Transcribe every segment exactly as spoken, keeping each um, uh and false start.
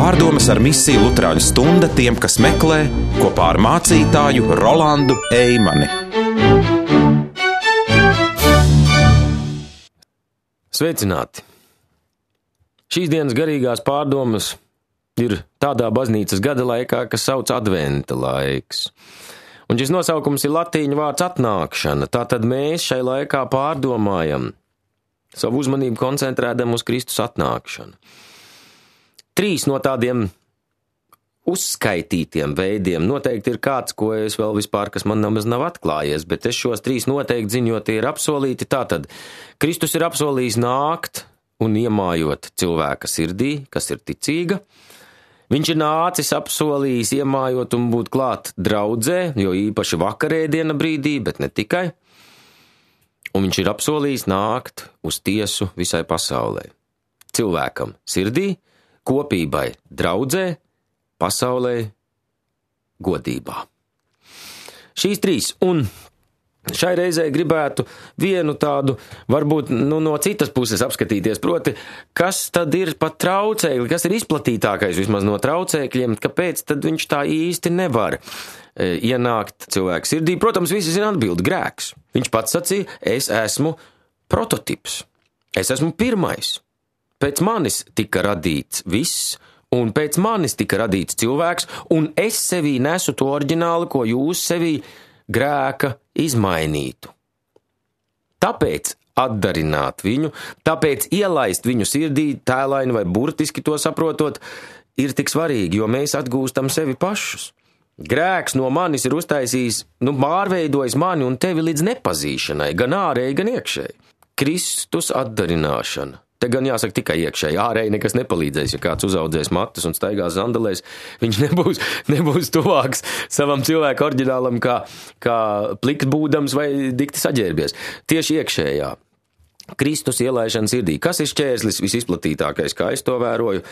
Pārdomas ar misiju Luterāņu stunda tiem, kas meklē, kopā ar mācītāju Rolandu Eimani. Sveicināti! Šīs dienas garīgās pārdomas ir tādā baznīcas gada laikā, kas sauc adventa laiks. Un šis nosaukums ir latīņu vārds atnākšana, tātad mēs šai laikā pārdomājam, savu uzmanību koncentrēdam uz Kristus atnākšanu. Trīs no tādiem uzskaitītiem veidiem noteikti ir kāds, ko es vēl vispār, kas man nemaz nav atklājies, bet es šos trīs noteikti zinu, jo tie ir apsolīti. Tātad Kristus ir apsolījis nākt un iemājot cilvēka sirdī, kas ir ticīga. Viņš ir nācis, apsolījis, iemājot un būt klāt draudzē, jo īpaši vakarēdiena brīdī, bet ne tikai. Un viņš ir apsolījis nākt uz tiesu visai pasaulē. Cilvēkam sirdī, kopībai draudzē, pasaulē godībā. Šīs trīs. Un šai reizē gribētu vienu tādu, varbūt nu, no citas puses apskatīties, proti, kas tad ir pat traucēkļi, kas ir izplatītākais vismaz no traucēkļiem, kāpēc tad viņš tā īsti nevar e, ienākt cilvēku sirdī. Protams, visi zina atbildi, grēks. Viņš pats sacīja, es esmu prototips, es esmu pirmais. Pēc manis tika radīts viss, un pēc manis tika radīts cilvēks, un es sevī nesu to oriģinālu, ko jūs sevī grēka izmainītu. Tāpēc atdarināt viņu, tāpēc ielaist viņu sirdī, tēlaini vai burtiski to saprotot, ir tik svarīgi, jo mēs atgūstam sevi pašus. Grēks no manis ir uztaisījis, nu, pārveidojis mani un tevi līdz nepazīšanai, gan ārēji, gan iekšēji. Kristus atdarināšana. Te gan jāsaka tikai iekšēji, ārēji nekas nepalīdzēs, ja kāds uzaudzēs matus un staigās zandelēs, viņš nebūs, nebūs tuvāks savam cilvēku oriģinālam kā, kā pliks būdams vai dikti saģērbies. Tieši iekšējā. Kristus ielaišana sirdī. Kas ir šķērslis visizplatītākais, kā es to vēroju?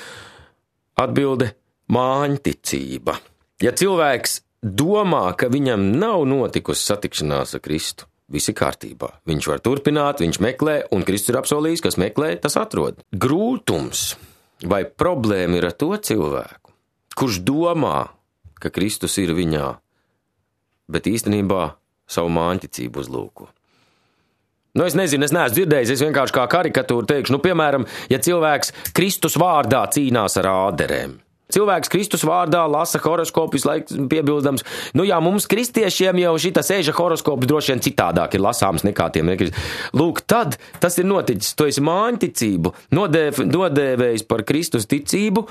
Atbilde – māņticība. Ja cilvēks domā, ka viņam nav notikusi satikšanās ar Kristu, viss ir kārtībā. Viņš var turpināt, viņš meklē, un Kristus ir apsolījis, kas meklē, tas atrod. Grūtums vai problēma ir ar to cilvēku, kurš domā, ka Kristus ir viņā, bet īstenībā savu māņticību uzlūko. Nu, es nezinu, es neesmu dzirdējis, es vienkārši kā karikatūru teikšu, nu, piemēram, ja cilvēks Kristus vārdā cīnās ar āderēm. Cilvēks Kristus vārdā lasa horoskopu, visu laiku piebildams, nu jā, mums kristiešiem jau šita sēža horoskops droši vien citādāk ir lasāms nekā tiem. Lūk, tad tas ir noticis, tu esi māņticību nodēv, nodēvējis par Kristus ticību,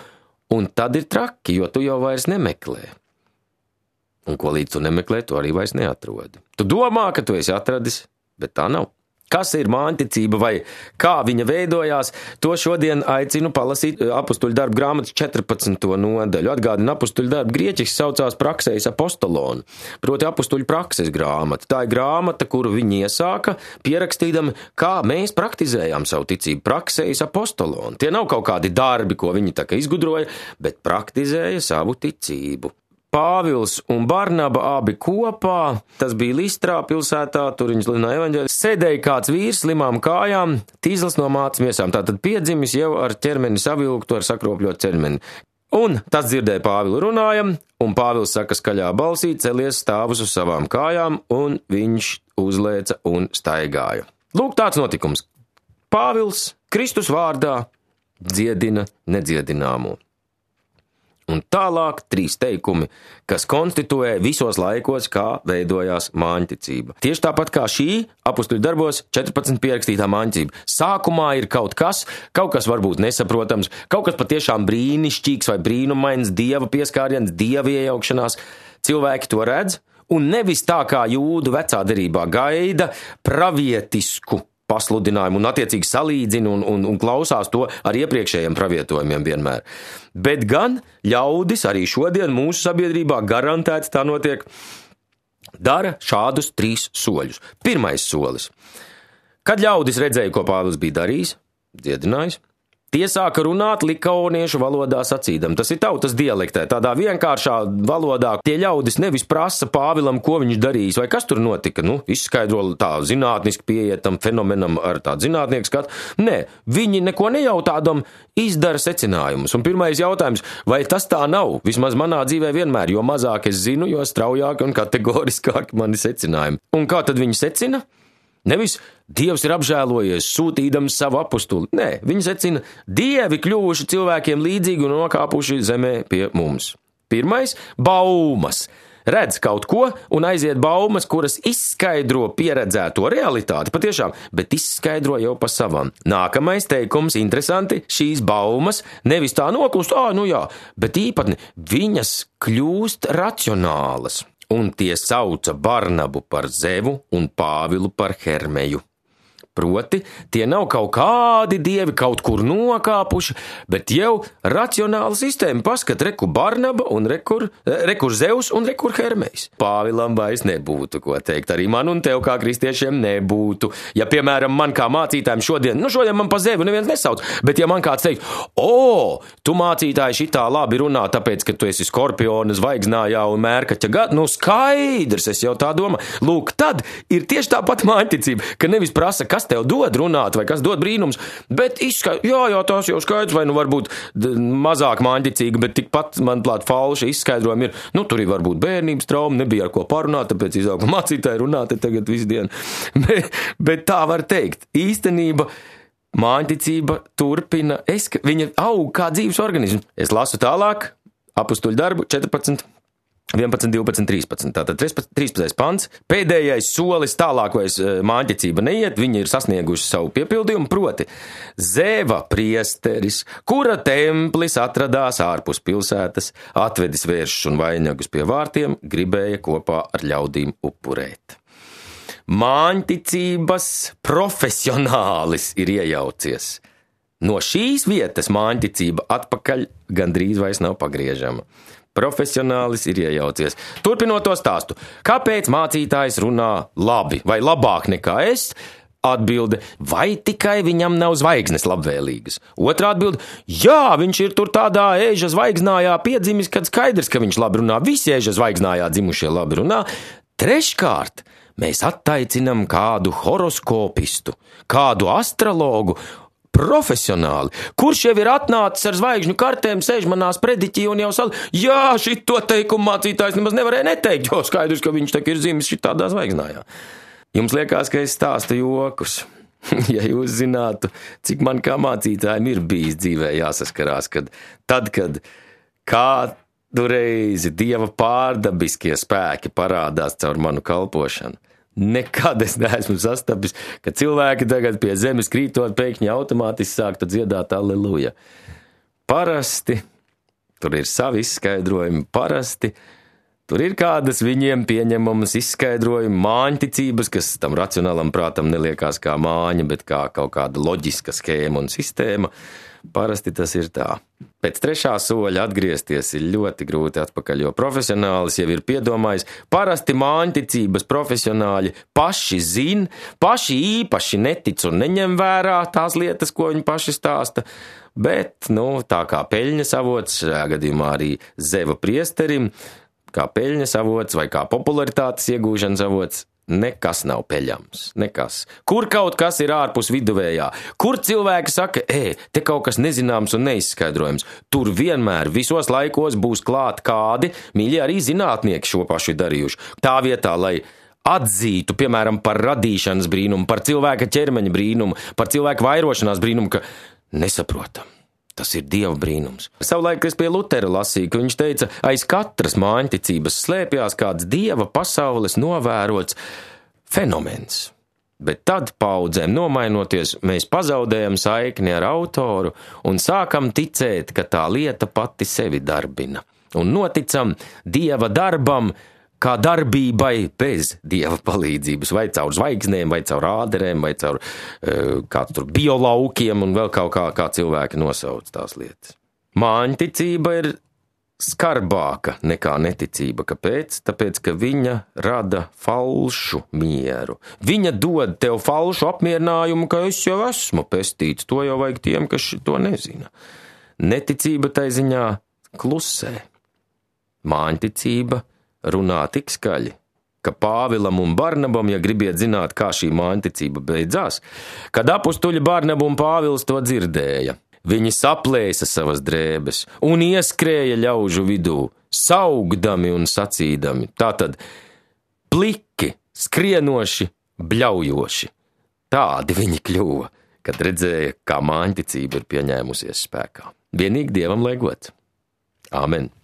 un tad ir traki, jo tu jau vairs nemeklē. Un ko līdz tu nemeklē, tu arī vairs neatrodi. Tu domā, ka tu esi atradis, bet tā nav. Kas ir māņticība vai kā viņa veidojās, to šodien aicinu palasīt apustuļu darbu grāmatas četrpadsmito nodaļu. Atgādina, apustuļu darbu grieķiski saucās praxeis apostolon, proti apustuļu prakses grāmata. Tā ir grāmata, kuru viņi iesāka, pierakstīdami, kā mēs praktizējām savu ticību. Praxeis apostolon. Tie nav kaut kādi darbi, ko viņi tā kā izgudroja, bet praktizēja savu ticību. Pāvils un Barnaba abi kopā, tas bija Listrā pilsētā, tur viņi sludināja evaņģēli, sēdēja kāds vīrs slimām kājām, tīzls no mātes miesām, tātad piedzimis jau ar ķermeni savilktu, ar sakropļot ķermeni. Un tas dzirdēja Pāvilu runājam, un Pāvils saka skaļā balsī, celies stāvus uz savām kājām, un viņš uzlēca un staigāja. Lūk, tāds notikums. Pāvils Kristus vārdā dziedina nedziedināmo. Un tālāk trīs teikumi, kas konstituē visos laikos, kā veidojās māņticība. Tieši tāpat kā šī apustuļu darbos četrpadsmit pierakstītā māņticība. Sākumā ir kaut kas, kaut kas varbūt nesaprotams, kaut kas patiešām brīnišķīgs vai brīnumains, dieva pieskāriens, dieva iejaukšanās. Cilvēki to redz, un nevis tā kā jūdu vecā derībā gaida pravietisku pasludinājumu un attiecīgi salīdzina un, un, un klausās to ar iepriekšējiem pravietojumiem vienmēr. Bet gan ļaudis arī šodien mūsu sabiedrībā garantēts tā notiek, dara šādus trīs soļus. Pirmais solis. Kad ļaudis redzēja, ko Pāvils bija darījis, dziedinājis, Tie sāka runāt likauniešu valodā sacīdam. Tas ir tautas dialektē, tādā vienkāršā valodā. Tie ļaudis nevis prasa Pāvilam, ko viņš darījis, vai kas tur notika. Nu, izskaidro tā zinātniski pieietam fenomenam ar tādu zinātnieku skatu. Nē, viņi neko nejautādam izdara secinājumus. Un pirmais jautājums, vai tas tā nav? Vismaz manā dzīvē vienmēr, jo mazāk es zinu, jo straujāk un kategoriskāk mani secinājumi. Un kā tad viņi secina? Nevis Dievs ir apžēlojies, sūtīdams savu apustuli. Nē, viņi secina, dievi kļuvuši cilvēkiem līdzīgi un nokāpuši zemē pie mums. Pirmais – baumas. Redz kaut ko un aiziet baumas, kuras izskaidro pieredzēto realitāti, patiešām, bet izskaidro jau pa savam. Nākamais teikums, interesanti, šīs baumas nevis tā noklust, ā, nu jā, bet īpatni, viņas kļūst racionālas. Un tie sauca Barnabu par Zevu un Pāvilu par Hermeju. Proti, tie nav kaut kādi dievi kaut kur nokāpuši, bet jau racionāla sistēma. Paskat, rekur Barnaba un rekur, rekur Zevs un rekur Hermejs. Pāvilam vairs nebūtu ko teikt, arī man un tev kā kristiešiem nebūtu. Ja, piemēram, man kā mācītājiem šodien, nu šodien man pa Zevu neviens nesauc, bet ja man kāds teikt, o, tu mācītāji šitā labi runā, tāpēc, ka tu esi Skorpiona zvaigznājā un Mērkaķa gada, nu skaidrs, es jau tā domāju. Lūk, tad ir tieši tāpat māņticība, ka nevis prasa, kas tev dod runāt vai kas dod brīnums, bet izskaidro, jā, jā, tās jau skaidrs, vai nu varbūt mazāk māņticīga, bet tikpat, manuprāt, falša izskaidrojumi ir, nu, tur ir varbūt bērnības trauma, nebija ar ko parunāt, tāpēc izauga mācītāji runāt tagad visu dienu. bet, bet tā var teikt, īstenība, māņticība turpina, es, viņa aug kā dzīves organisms. Es lasu tālāk, apustuļu darbu, četrpadsmit. vienpadsmit, divpadsmit, trīspadsmit. Tātad trīspadsmitais pants. Pēdējais solis tālāk vairs māņticība neiet, viņi ir sasnieguši savu piepildījumu, proti Zeva priesteris, kura templis atradās ārpus pilsētas, atvedis vēršus un vainagus pie vārtiem, gribēja kopā ar ļaudīm upurēt. Māņticības profesionālis ir iejaucies. No šīs vietas māņticība atpakaļ gandrīz vairs nav pagriežama. Profesionālis ir iejaucies. Turpinot to stāstu, kāpēc mācītājs runā labi vai labāk nekā es? Atbilde, vai tikai viņam nav zvaigznes labvēlīgas? Otrā atbilde, jā, viņš ir tur tādā ēža zvaigznājā piedzimis, kad skaidrs, ka viņš labi runā. Visi ēža zvaigznājā dzimušie labi runā. Treškārt, mēs attaicinam kādu horoskopistu, kādu astrologu, profesionāli, kurš jau ir atnācis ar zvaigžņu kartēm, sēž manā sprediķī un jau sal, jā, šito teikumu mācītājs nemaz nevarēja neteikt, jo skaidrs, ka viņš tak ir dzimis šitādā zvaigznājā. Jums liekas, ka es stāstu jokus. Ja jūs zinātu, cik man kā mācītājiem ir bijis dzīvē jāsaskarās, kad tad, kad kādu reizi Dieva pārdabiskie spēki parādās caur manu kalpošanu. Nekad es neesmu sastapis, ka cilvēki tagad pie zemes krītot pēkšņi automātiski sāktu dziedāt alleluja. Parasti, tur ir savi izskaidrojumi, parasti, tur ir kādas viņiem pieņemamas izskaidrojumi, māņticības, kas tam racionālam prātam neliekās kā māņa, bet kā kaut kāda loģiska skēma un sistēma. Parasti tas ir tā. Pēc trešā soļa atgriezties ir ļoti grūti atpakaļ, jo profesionālis jau ir piedomājis. Parasti māņticības profesionāļi paši zin, paši īpaši netic un neņem vērā tās lietas, ko viņi paši stāsta. Bet, nu, tā kā peļņas avots, šajā gadījumā arī Zeva priesterim, kā peļņas avots vai kā popularitātes iegūšanas avots, nekas nav peļams, nekas. Kur kaut kas ir ārpus viduvējā, kur cilvēki saka, ē, te kaut kas nezināms un neizskaidrojams, tur vienmēr visos laikos būs klāt kādi, mīļi arī zinātnieki šo pašu darījuši. Tā vietā, lai atzītu, piemēram, par radīšanas brīnumu, par cilvēka ķermeņa brīnumu, par cilvēka vairošanās brīnumu, ka nesaprotam. Tas ir Dieva brīnums. Savulaik es pie Lutera lasīju, ka viņš teica, aiz katras māņticības slēpjās kāds Dieva pasaules novērots fenomens. Bet tad, paudzēm nomainoties, mēs pazaudējam saikni ar autoru un sākam ticēt, ka tā lieta pati sevi darbina. Un noticam Dieva darbam, kā darbībai bez Dieva palīdzības, vai caur zvaigznēm, vai caur āderēm, vai caur uh, kāds tur biolaukiem un vēl kaut kā, kā cilvēki nosauc tās lietas. Māņticība ir skarbāka nekā neticība. Kāpēc? Tāpēc, ka viņa rada falšu mieru. Viņa dod tev falšu apmierinājumu, ka es jau esmu pestīts. To jau vajag tiem, kas to nezina. Neticība tai ziņā klusē. Māņticība runā tik skaļi, ka Pāvilam un Barnabam, ja gribiet zināt, kā šī māņticība beidzās, kad apustuļi Barnaba un Pāvils to dzirdēja, viņi saplēsa savas drēbes un ieskrēja ļaužu vidū, saugdami un sacīdami. Tātad pliki, skrienoši, bļaujoši. Tādi viņi kļuva, kad redzēja, kā māņticība ir pieņēmusies spēkā. Vienīgi Dievam lai gods. Āmen.